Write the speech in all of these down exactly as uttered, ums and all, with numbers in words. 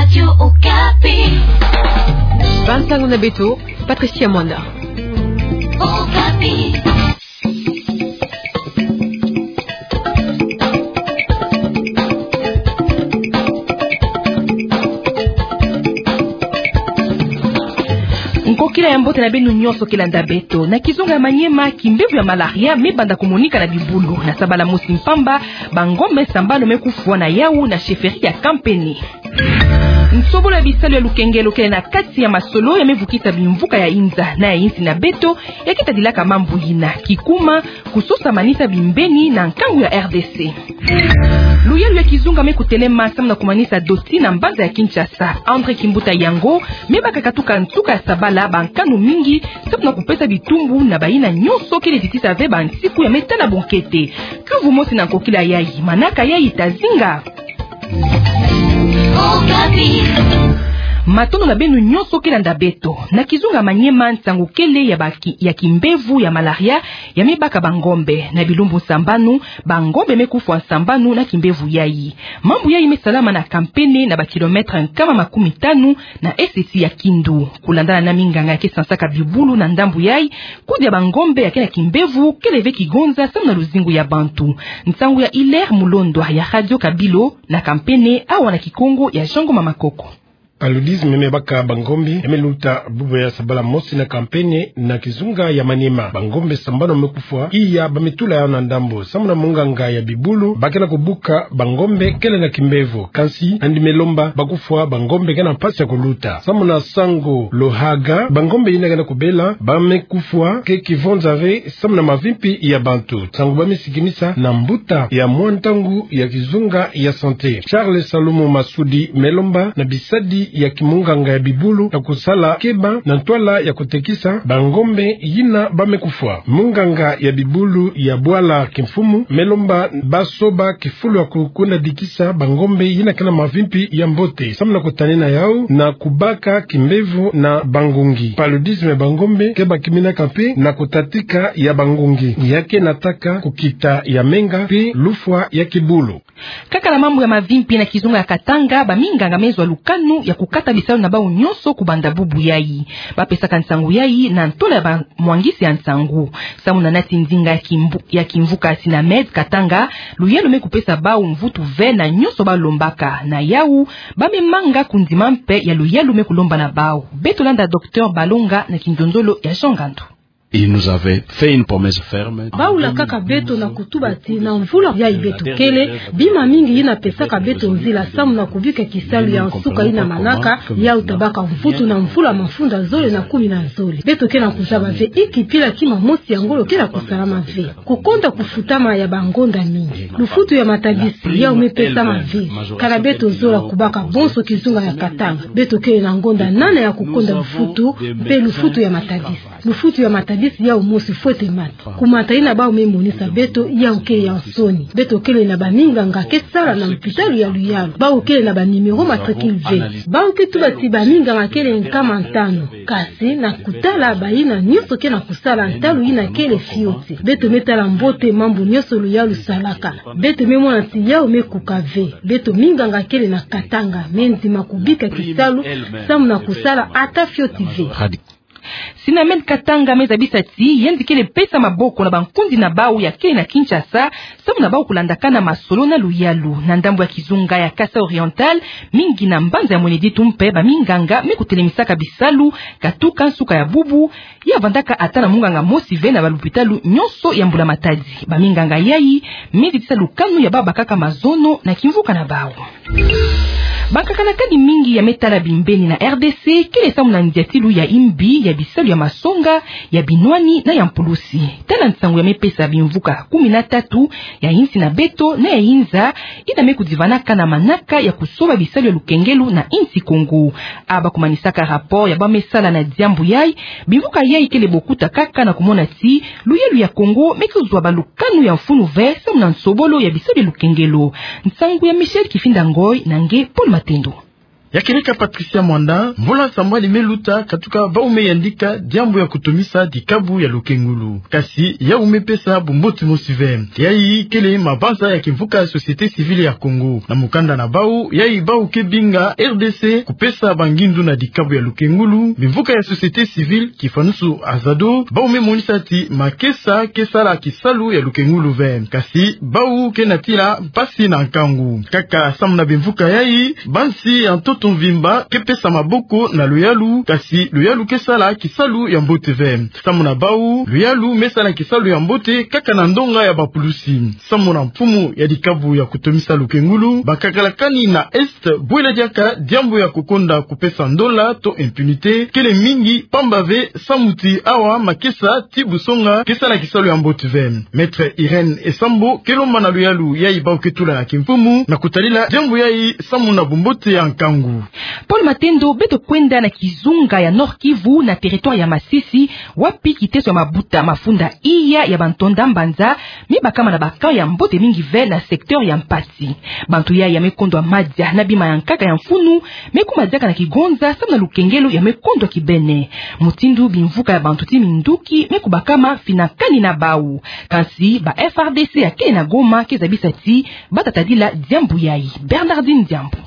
Radio Okapi. Bansango na beto, Patricia Mwanda. Okapi. Nkokila ya mbote na beno nyonso ke landa beto. Na kizunga ya Maniema, kimbevo ya malaria me banda komonika na bibulu. Na sabala mosi mpamba, bangombe sambanu me kufwa na yawu na chefferie ya Kampene. Nsobolo ya bisalu ya lukengelo kele na kati ya masolo ya me vukisa bimvuka ya inza na ya insi na beto, ya ke tadilaka mambu yina: kikuma, kusosa manisa bimbeni na nkangu ya R D C. Luyalu ya kizunga me kutelema samu na kumanisa doti na mbanza ya Kinshasa. André Kimbuta Yanngo me baka katuka nsuka ya sabala bankanu mingi samu na kupesa bitumbu na bayina nyonso kele titisa ve bansiku ya me tala bonkete. Kiuvu mosi na nkokila yayi, manaka yayi ta zinga. Okapi. Matondo na beno nyonso ke landa beto. Na kizunga Maniema, nsangu kele ya baki-, ya kimbevo ya malaria ya me baka bangombe. Na bilumbu sambanu, bangombe me kufwa sambanu na kimbevo yayi. Mambu yayi me salama na Kampene, na bakilometre nkama makumi tanu na eseti ya Kindu. Kulandana na minganga ya ke sansaka bibulu na ndambu yayi, kudi ya bangombe ya ke na kimbevo kele ve kigonza samu na luzingu ya bantu. Nsangu ya Hilaire Mulondwa ya Radio Kabilo na Kampene, awa na Kikongo ya Jean Ngoma Makoko. Paludisme me baka bangombe ya me luta bubu ya sabala mosi na Kampene na kizunga ya Maniema. Bangombe sambanu me kufwa, iya ba me tula yawu na ndambu. Samu na munganga ya bibulu, ba ke na kubuka bangombe kele na kimbevo. Kansi, nandi me lomba bakufwa bangombe ke na mpasi ya kuluta. Samu na Sango Lohaga, bangombe yina ke na kubela ba me kufwa ke kivonza ve samu na mavimpi ya bantu. Nsangu ba me sikimisa na mbuta ya mwa ntangu ya kizunga ya santé. Charles Salumu Masudi me lomba na bisadi ya kimunganga ya bibulu ya kusala keba na ntwala ya kutekisa bangombe yina ba me kufwa. Munganga ya bibulu ya bwala kimfumu me lomba ba soba kifulu ya kukundadikisa bangombe yina ke na mavimpi ya mbote, samu na kutanina yawu na kubaka kimbevo na bangungi. Paludisme ya bangombe ke bakiminaka mpe na kutatika ya bangungi ya ke nataka kukita ya menga mpe lufwa ya kibulu. Kaka na mambu ya mavimpi na kizunga ya Katanga, baminganga me zwa lukanu ya kukata bisalu na bawu nyonso kubanda bubu yayi. Ba pesaka nsangu yayi na ntola ya bamwangisi ya nsangu. Samu na nati nzinga ya kimbu-, ya kimvuka Sinamed Katanga, luyalu me kupesa bawu mvutu ve na nyonso ba lombaka. Na yawu, ba me manga kundima mpe ya luyalu me kulomba na bawu. Beto landa Docteur Balonga na kinzonzolo ya Jean Ngandu. Il nous avait fait une promesse ferme. Bawu lakaka beto na kutuba ti na mvula yayi beto kele, bima mingi yina pesaka beto nzila samu na kubika kisalu ya nsuka yina manaka, yawu ta baka mvutu na mvula mafunda zole na kumi na zole. Beto ke na kuzaba ve inki mpila kima mosi ya ngolo ke na kusalama ve. Kukonda kufutama ya bangonda mingi. Lufutu ya matabisi yawu me pesama ve. Kana beto zola kubaka bonso kizunga ya Katanga, beto kele na ngonda nana ya kukonda lufutu mpe lufutu ya matabisi. Lufutu ya matabisi yawu mosi fwete mata. Kumata yina bawu me monisa beto yawu ke ya nsoni. Beto kele na baminganga ke sala na lupitalu ya luyalu. Bawu kele na ba numéro matricule ve. Bawu ke tuba ti baminganga kele nkama ntanu. Kasi na kutala bayina nyonso ke na kusala ntalu yina kele fioti, beto me tala mbote mambu nyonso luyalu salaka. Beto me mona ti yawu me kuka ve. Beto minganga kele na Katanga me ndima kubika kisalu samu na kusala ata fioti ve. Sinamed Katanga me zabisa ti yandi kele pesa maboko na bankundi na bawu ya kele na Kinshasa, samu na bawu kulandakana masolo na luyalu. Na ndambu ya kizunga ya Kasaï Oriental, mingi na mbanza ya Mweneditu mpe baminganga me kutelemisaka bisalu, katuka nsuka ya bubu, ya vandaka ata na munganga mosi ve na balupitalu nyonso ya Mbula Matadi. Baminganga yayi me zitisa lukanu ya bawu bakaka mazono na kimvuka na bawu. Bankaka na kadi mingi ya me tala bimbeni na R D C kele samu na ndiatilu ya imbi ya bisalu ya masonga, ya binwani na ya mpulusi. Tala nsangu ya me pesa bimvuka kumi na tatu ya insi na beto na ya inza, yina me kudivanaka na manaka ya kusoba bisalu ya lukengelo na insi Kongo. A ba kumanisaka rapport ya bawu me sala na diambu yayi, bimvuka yayi kele bokuta kaka na kumona ti luyalu ya Kongo me kuzwa balukanu ya mfunu ve samu na nsobolo ya bisalu ya lukengelo. Nsangu ya Michel Kifinda Ngoy na nge Paul Matendo. Ya kieleka Patricia Mwanda, mvula sambwadi me luta, katuka bau me yandika diambu ya kutumisa dikabu ya lukengulu. Kasi yau me pesa bumbote mosi ve. Yayi kele mabanza ya kimvuka ya société civile ya Congo. Na mukanda na bau, yayi bau ke binga R D C kupesa bangindu na dikabu ya lukengulu, bimvuka ya société civile, kifanusu Azado, bau me monisa ti makesa ke sala kisalu ya lukengulu ve. Kasi bau ke natila mpasi na nkangu. Kaka samu na bimvuka yayi, bansi ya ntoto mvimba ke pesa maboko na luyalu, kasi luyalu ke sala kisalu ya mbote ve. Samu na bau, luyalu me sala kisalu ya mbote kaka na ndonga ya bapulusi. Samu na mfumu ya dikabu ya kutumisa lukengulu, bakakalakani na Est, bwela diaka diambu ya kukonda kupesa ndola to impunité kele mingi, pamba ve samu ti awa makesa ti busonga ke sala kisalu ya mbote ve. Maître Irène Esambo ke lomba na luyalu yayi bau ke tula na kimfumu na kutalila diambu yayi samu na bumbote ya nkangu. Paul Matendo, beto kwenda na kizunga ya Nord-Kivu, na territoire ya Masisi, wapi kiteso ya mabuta mafunda iya ya bantonda mbanza me bakama na ba camp ya mbote mingi ve na secteur ya Mpati. Bantu yayi ya me kondwa madia na bima ya nkaka ya mfunu, me kuma diaka na kigonza samu na lukengelo ya me kondwa kibene. Mutindu bimvuka ya bantu ti minduki me kubakama finakani na bau. Kansi ba F R D C ya kele na Goma ke zabisa ti bata tadila diambu yayi. Bernardine Diambu.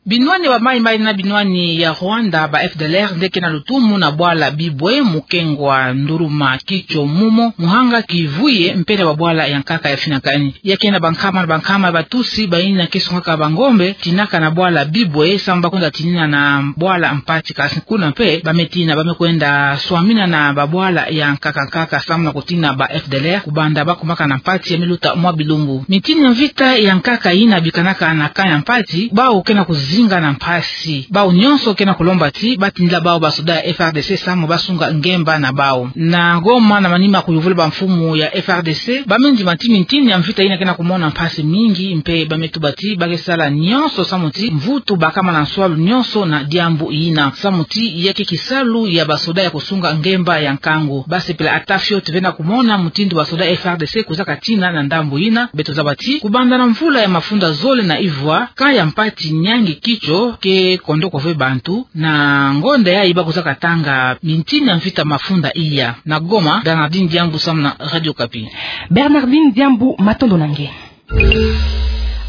Binwani ya ba maïmaï na binwani ya Rwanda, ba F D L R nde ke na lutumu na bwala Bibwe, Mukengwa, Nduruma, Kicho, Mumo, Muhanga, Kivuye, mpe na ba bwala ya nkaka ya finakani. Ya ke na bankama na bankama ya Batusi bayina ke sungaka bangombe, tinaka na bwala Bibwe, samu ba kwenda tinina na bwala Mpati. Kasi kuna mpe ba me tina, ba me kwenda swamina na ba bwala ya nkaka nkaka samu na kutina ba F D L R, kubanda ba kumaka na Mpati ya me luta mwa bilumbu. Mitini ya mvita ya nkaka yina bikanaka na camp ya Mpati, bau ke na kuzinga na mpasi. Bau nyonso ke na kulomba ti ba tindila bau ba soda ya F R D C samu ba sunga ngemba na bau. Na Goma, na manima kuyuvula bamfumu ya F R D C, ba me ndima ti mitini ya mvita yina ke na kumona mpasi mingi, mpe ba me tuba ti ba ke sala nyonso samu ti mvutu bakama na nswalu nyonso na diambu yina. Samu ti ya ke kisalu ya ba soda ya kusunga ngemba ya nkangu. Ba sepela ata fioti ve na kumona mutindu ba soda F R D C kwiza katina na ndambu yina. Beto zaba ti kubanda na mvula ya mafunda zole na ivwa, camp ya Mpati, Niangi, Kicho ke kondoko ve bantu, na ngonda yayi ba kwiza katanga mitini ya mvita mafunda iya. Na Goma, Bernardine Diambu samu na Radio Okapi. Bernardine Diambu, matondo na nge.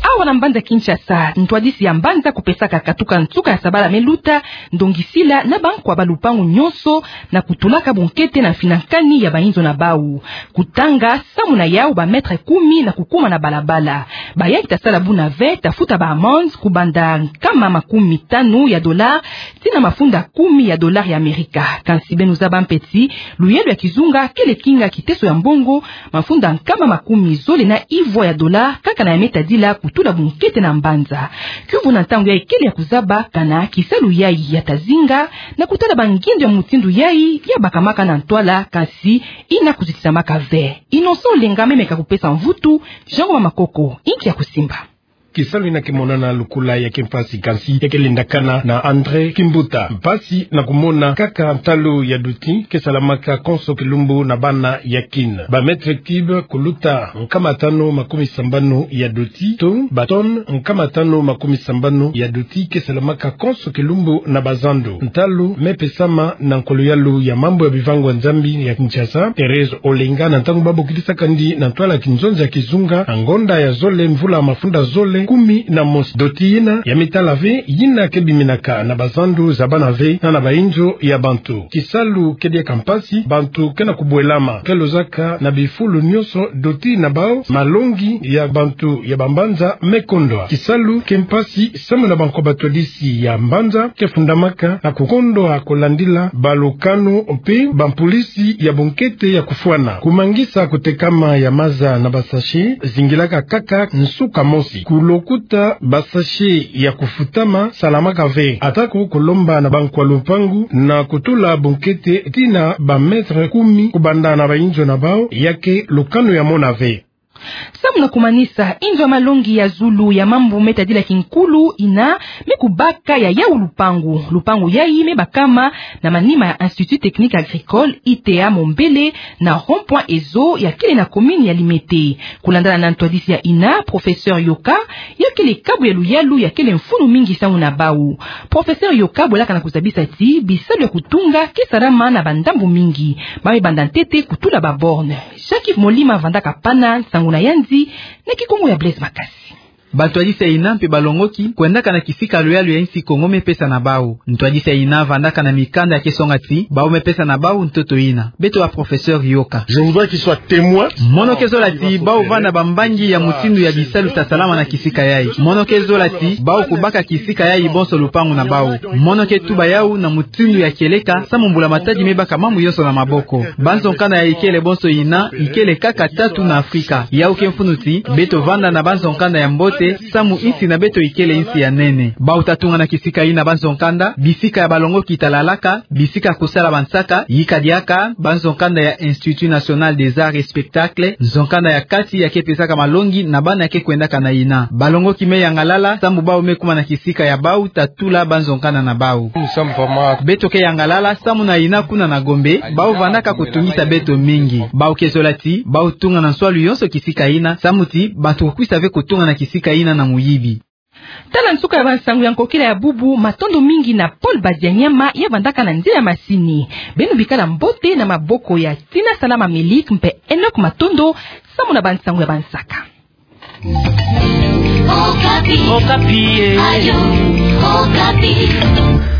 Awa na mbanza Kinshasa, ntwadisi ya mbanza kupesaka katuka nsuka ya sabala me luta ndongisila na bankwa ba lupangu nyonso na kutulaka bunkete na mfinakani ya bainzo na bau. Kutanga samu na yau ba mètre kumi na kukuma na balabala. Bayayi ta sala buna ve ta futa ba amende kubanda nkama makumi tanu ya dollar tii na mafunda kumi ya dollar ya Amerika. Kansi beno zaba mpe ti luyalo ya kizunga kele kinga kiteso ya mbongo, mafunda nkama makumi zole na ivwa ya dollar, kaka na ya me tadila kutula bunkete na mbanza. Kiuvu na ntangu yayi kele ya kuzaba kana kisalu yayi ya ta zinga, na kutala bangindu ya mutindu yayi ya bakamaka na ntwala, kansi yina kuzitisamaka ve. Innocent Olenga me meka kupesa mvutu, Jean Ngoma Makoko, inki ya kusimba. Kisalu yina ke monana lokola ya ke mpasi, kansi ya ke lendakana na André Kimbuta. Mpasi na kumona kaka ntalu ya doti ke salamaka konso kilumbu na bana ya Kin. Ba mètre cube kuluta nkama tanu makumi sambanu ya doti, to ba tonne nkama tanu makumi sambanu ya doti ke salamaka konso kilumbu na bazandu. Ntalu me pesama na nkuluyalu ya mambu ya bivangwa nzambi ya Kinshasa, Thérèse Olenga, na ntangu ba bokidisaka ndi na ntwala kinzonzi ya kizunga, na ngonda ya zole mvula mafunda zole kumi na mosi. Doti yina ya mitala ve yina ke biminaka na bazandu za bana ve na na bainzo ya bantu. Kisalu ke diaka mpasi, bantu ke na kubwelama, ke lozaka na bifulu nyonso doti na bau, malongi ya bantu ya bambanza me kondwa. Kisalu ke mpasi samu na bankwa batwadisi ya mbanza ke fundamaka na kukondwa kulandila balukanu mpe bampolisi ya bunkete ya kufwana. Kumangisa kutekama ya maza na ba sachet zingilaka kaka nsuka mosi. Kulokuta ba sachet ya kufutama salamaka ve. Atako kulomba na bankwa lupangu na kutula bunkete tii na ba mètre kumi kubanda na bainzo na bau, ya ke lukanu ya mona ve. Samu na kumanisa, inzo ya malongi ya zulu ya mambu me tadila kinkulu ina me kubaka ya yau lupangu. Lupangu yai me bakama na manima ya Institut Technique Agricole, I T A Mombele, na rond-point Ezo ya kele na commune ya Limete. Kulandala na ntwadisi ya ina, professeur Yoka, ya kele kabu ya luyalu ya kele mfunu mingi samu na bau. Professeur Yoka bwelaka na kuzabisa ti bisalu ya kutunga ke salama na bandambu mingi. Ba me banda ntete kutula ba borne. Jacques Molima vandaka pana nsangu na yandi na Kikongo ya Blaise Makasi. Bantwadisi ya ina mpe balongoki kwendaka na kisika ya luyalu ya insi Kongo me pesa na bau. Ntwadisi ya ina vandaka na mikanda ya ke songa ti bau me pesa na bau ntoto ina. Beto ba professeur Yoka. Je voudrais qu'il soit témoin. Mono ke zola ti bau vanda bambangi ya mutindu ya bisalu ta salama na kisika yai. Mono ke zola ti bau kubaka kisika yai bonso lupangu na bau. Mono ke tuba yau na mutindu ya kieleka samu mbula-matadi me baka mambu yonso na maboko. Banzo-nkanda ya ikele bonso ina ikele kaka tatu na Afrika. Yau ke mfunu ti beto vanda na banzo-nkanda ya mbote samu insi na beto ikele insi ya nene. Bau ta tunga na kisika ina banzo-nkanda, bisika ya balongoki ta lalaka, bisika ya kusala bansaka, yika diaka banzo-nkanda ya Institut National des Arts et Spectacles, nzo-nkanda ya kati ya ke pesaka malongi na bana ya ke kwendaka na ina. Balongoki me yangalala samu bau me kuma na kisika ya bau ta tula banzo-nkanda na bau. Beto ke yangalala samu na ina kuna na Gombe, bau vandaka kutungisa beto mingi. Bau ke zola ti bau tunga na nswalu yonso kisika ina, samu ti bantu kukwisa ve kutunga na kisika ina na muyibi. Tala nsuka ya bansangu ya nkokila ya bubu. Matondo mingi na Paul Badianyama ya vandaka na nze ya masini. Beno bikala mbote na maboko ya Tina Salama Melik mpe Enoch Matondo samu na bansangu ya bansaka. Okapi. Okapi, eh. Radio Okapi.